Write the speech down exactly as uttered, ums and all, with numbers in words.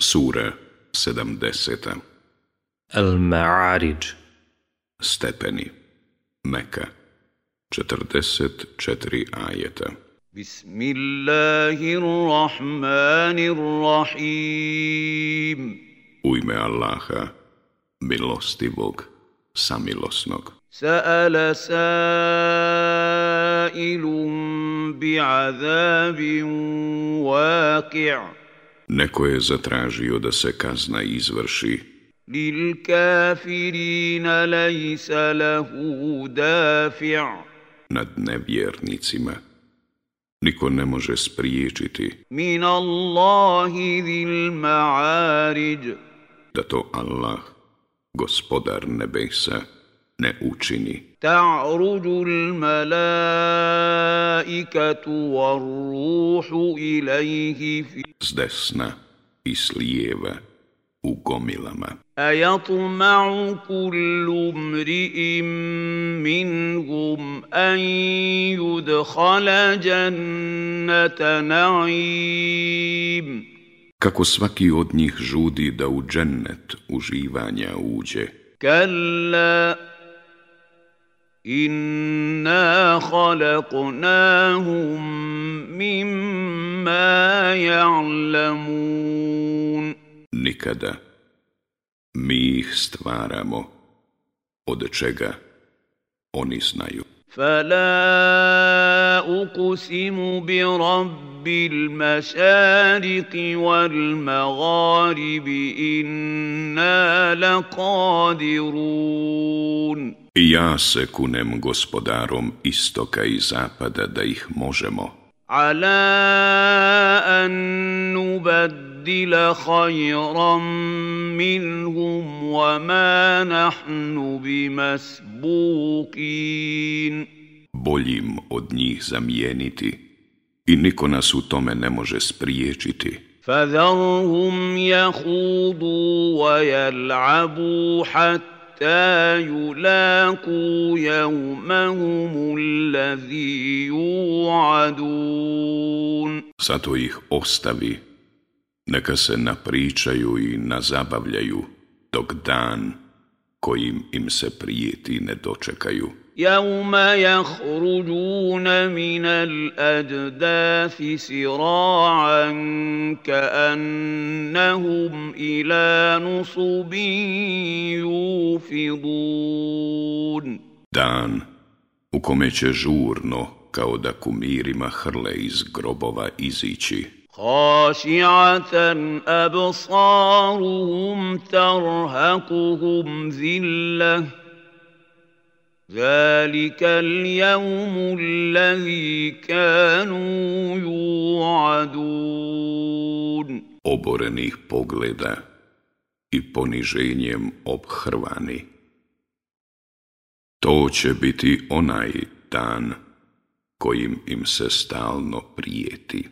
Sura sedamdeseta. Al-Ma'arij. Stepeni. Meka. četrdeset četiri ajeta. Bismillahirrahmanirrahim. U ime Allaha, milostivog, samilosnog. Sa'ala sa'ilun bi'azabin waqi'. Neko je zatražio da se kazna izvrši. Lil kafirina laysa lahu dafi'. Nad nevjernicima niko ne može spriječiti Min Allahi zil ma'arij. da to Allah, gospodar nebesa, ne učini. Ta'ruju al-malaikatu war-ruhu ilayhi fi S desna i s lijeva u gomilama. أيطمع كل امرئ منهم أن يدخل جنة نعيم Kako svaki od njih žudi da u džennet uživanja uđe. كلا إنا خلقناهم مما يعلمون Nikada. Mi ih stvaramo, od čega oni znaju. فلا أقسم برب المشارق والمغارب إنا لقادرون I ja se kunem gospodarom istoka i zapada da ih možemo. على أن نبدل خيرا منهم وما نحن بمسبوقين Boljim od njih zamijeniti i niko nas u tome ne može spriječiti. فذرهم يخوضوا ويلعبوا حتى يلاقوا يومهم الذي يوعدون Zato ih ostavi, neka se napričaju i nazabavljaju, dok dan kojim im se prijeti ne dočekaju. يوم يخرجون من الأجداث سراعا كأنهم إلى نصب يوفضون Dan u kome će žurno, kao da kumirima hrle iz grobova izići. خاشعة أبصارهم ترهقهم ذلة ذلك اليوم الذي كانوا يوعدون Oborenih pogleda i poniženjem obhrvani. To će biti onaj dan kojim im se stalno prijeti.